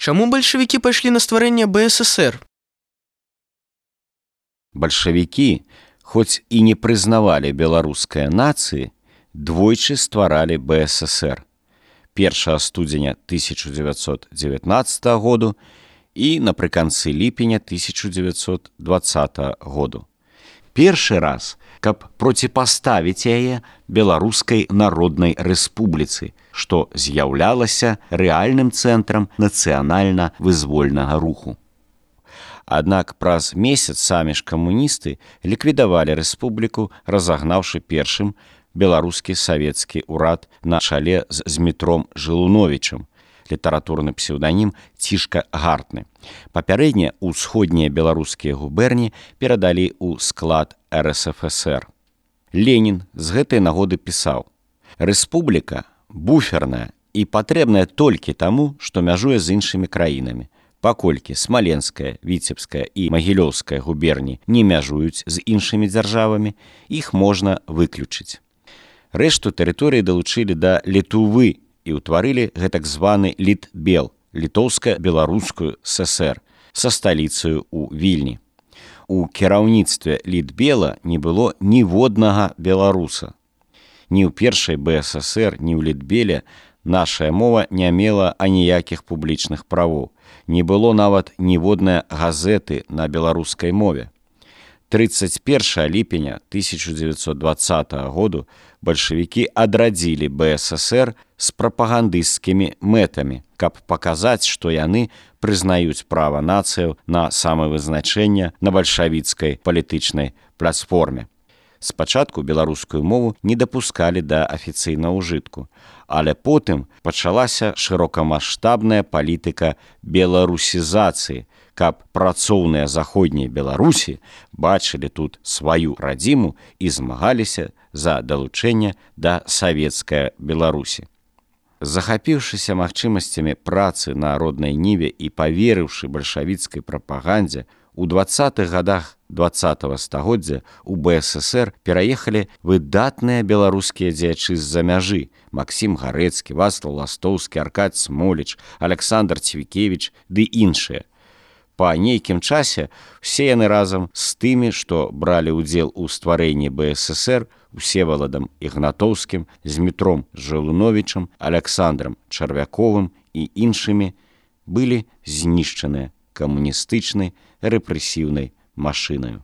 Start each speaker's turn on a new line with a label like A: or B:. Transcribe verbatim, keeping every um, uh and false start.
A: Чаму бальшавікі пайшлі на стварэнне бэ эс эс эр?
B: Бальшавікі, хоць і не прызнавалі беларускай нацыі, двойчы стваралі бэ эс эс эр. першага студзеня тысяча дзевяцьсот дзевятнаццатага году і напрыканцы ліпеня тысяча дзевяцьсот дваццатага году. Першы раз, каб проціпаставіць яе Беларускай народнай рэспубліцы, што з'яўлялася рэальным цэнтрам нацыянальна-вызвольнага руху. Аднак праз месяц самі ж камуністы ліквідавалі рэспубліку, разагнаўшы першым беларускі савецкі ўрад на чале з Змітром Жылуновічам, літаратурны псеўданім Цішка Гартны. Папярэдне ўсходнія беларускія губерні перадалі ў склад эр эс эф эс эр. Ленін з гэтай нагоды пісаў: «Рэспубліка буферная і патрэбная толькі таму, што мяжуе з іншымі краінамі. Паколькі Смаленская, Віцебская і Магілёўская губерні не мяжуюць з іншымі дзяржавамі, іх можна выключыць». Рэшту тэрыторыі далучылі да Літувы і ўтварылі гэтак званы Літбел, літоўска-беларускую эс эс эр, са сталіцаю ў Вільні. У кіраўніцтве Літбела не было ніводнага беларуса. Ні ў першай бэ эс эс эр, ні ў Літбеле нашая мова не мела аніякіх публічных правоў. Не было нават ніводнай газеты на беларускай мове. трыццаць першага ліпеня тысяча дзевяцьсот дваццатага году бальшавікі адрадзілі бэ эс эс эр з прапагандысцкімі мэтамі, каб паказаць, што яны прызнаюць права нацыяў на самавызначэнне на бальшавіцкай палітычнай платформе. Спачатку беларускую мову не дапускалі да афіцыйнага ўжытку, але потым пачалася шырокамаштабная палітыка беларусізацыі, каб працоўныя заходняй Беларусі бачылі тут сваю радзіму і змагаліся за далучэнне да савецкай Беларусі. Захапіўшыся магчымасцямі працы на роднай ніве і паверыўшы бальшавіцкай прапагандзе, у дваццатых гадах дваццатага стагоддзя у бэ эс эс эр пераехалі выдатныя беларускія дзеячы з-за мяжы: Максім Гарэцкі, Вацлаў Ластоўскі, Аркадзь Смоліч, Аляксандр Цвікевіч ды іншыя. Па нейкім часе усе яны разам з тымі, што бралі ўдзел у стварэнні бэ эс эс эр, Усеваладам Ігнатоўскім, Змітром Жылуновічам, Аляксандрам Чарвяковым і іншымі, былі знішчаныя камуністычнай рэпрэсіўнай машынаю.